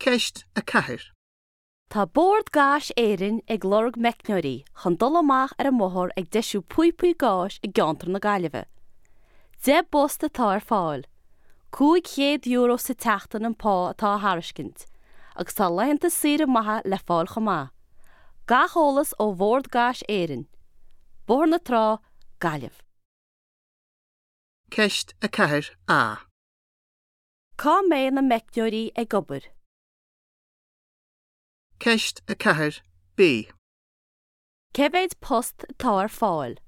Ceist 4. Tá Bord Gáis Éireann ag lorg meicneoirí chun dul amach ar an mbóthar ag deisiú píopaí gáis i gceantar na Gaillimhe. 10 bpost atá ar fáil. €500 sa tseachtain an pá atá á thairiscint, agus tá laethanta saoire maithe le fáil chomh maith. Gach eolas ó Bhord Gáis Éireann. Bóthar na Trá, Gaillimh. Ceist 4A. Cá mbeidh na meicneoirí ag obair? Ceist 4B. Cé mhéad post atá ar fáil?